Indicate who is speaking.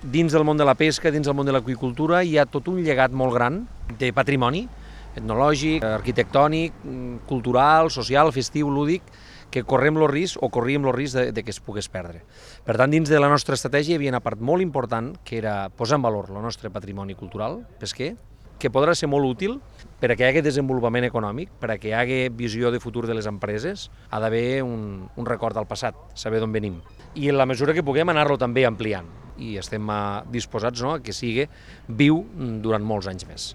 Speaker 1: Dins del món de la pesca, dins del món de l'aqüicultura, hi ha tot un llegat molt gran de patrimoni etnològic, arquitectònic, cultural, social, festiu, lúdic, que corríem el risc de que es pogués perdre. Per tant, dins de la nostra estratègia hi havia una part molt important, que era posar en valor el nostre patrimoni cultural pesquer, que podrà ser molt útil per a que hi hagi desenvolupament econòmic, per a que hi hagi visió de futur de les empreses, ha d'haver un record del passat, saber d'on venim. I en la mesura que puguem anar-lo també ampliant, i estem disposats a que sigui viu durant molts anys més.